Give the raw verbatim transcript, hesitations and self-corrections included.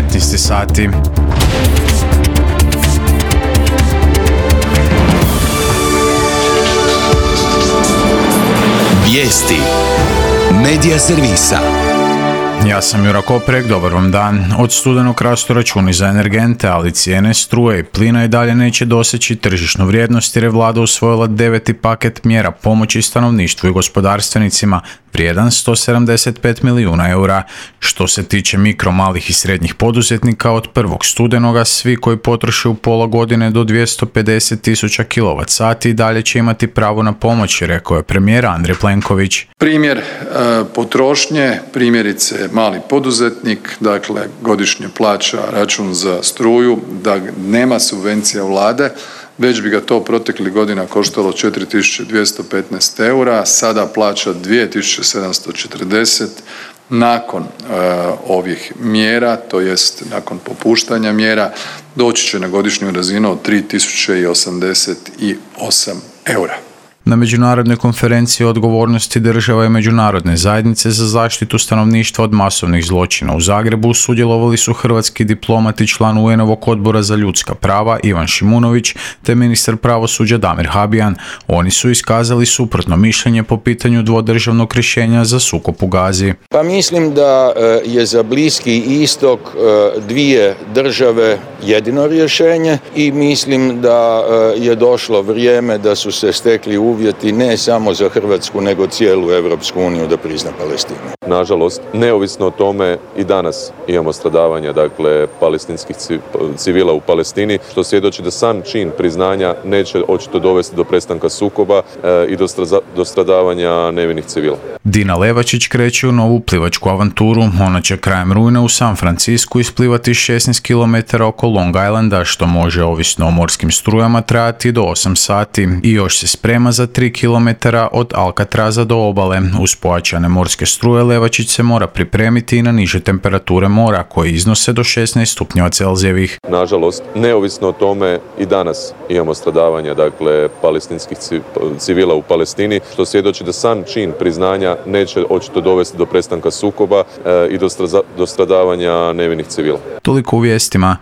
petnaest sati. Vijesti Medija servisa. Ja sam Jura Koprek, dobar vam dan. Od studenog rastu računi za energente, ali cijene struje i plina i dalje neće doseći tržišnu vrijednost jer je vlada usvojila deveti paket mjera pomoći stanovništvu i gospodarstvenicima vrijedan sto sedamdeset pet milijuna eura. Što se tiče mikro, malih i srednjih poduzetnika, od prvog studenoga svi koji potroše u pola godine do dvjesto pedeset tisuća kilovat sati i dalje će imati pravo na pomoć, rekao je premijer Andrej Plenković. Primjer e, potrošnje, primjerice mali poduzetnik, dakle godišnje plaća račun za struju, da nema subvencija vlade, već bi ga to proteklih godina koštalo četiri tisuće dvjesto petnaest eura, sada plaća dvije tisuće sedamsto četrdeset nakon e, ovih mjera, to jest nakon popuštanja mjera, doći će na godišnju razinu od tri tisuće osamdeset osam eura. Na međunarodnoj konferenciji o odgovornosti država i međunarodne zajednice za zaštitu stanovništva od masovnih zločina u Zagrebu sudjelovali su hrvatski diplomat i član U N-ovog odbora za ljudska prava Ivan Šimunović te ministar pravosuđa Damir Habijan. Oni su iskazali suprotno mišljenje po pitanju dvodržavnog rješenja za sukob u Gazi. Pa mislim da je za Bliski istok dvije države jedino rješenje i mislim da je došlo vrijeme da su se stekli uvjeti ne samo za Hrvatsku nego cijelu Europsku uniju da prizna Palestinu. Nažalost, neovisno o tome i danas imamo stradavanja, dakle, palestinskih civila u Palestini, što svjedoči da sam čin priznanja neće očito dovesti do prestanka sukoba e, i do, straza, do stradavanja nevinih civila. Dina Levačić kreće u novu plivačku avanturu. Ona će krajem rujna u San Francisku isplivati šesnaest kilometara oko Long Islanda, što može, ovisno o morskim strujama, trajati do osam sati i još se sprema za tri kilometra od Alcatraza do obale. Uz pojačane morske struje Levačić se mora pripremiti i na niže temperature mora koje iznose do šesnaest stupnjeva Celzijevih. Nažalost, neovisno o tome i danas imamo stradavanja, dakle, palestinskih civila u Palestini, što svjedoči da sam čin priznanja neće očito dovesti do prestanka sukoba e, i do, straza, do stradavanja nevinih civila. Toliko u vijestima.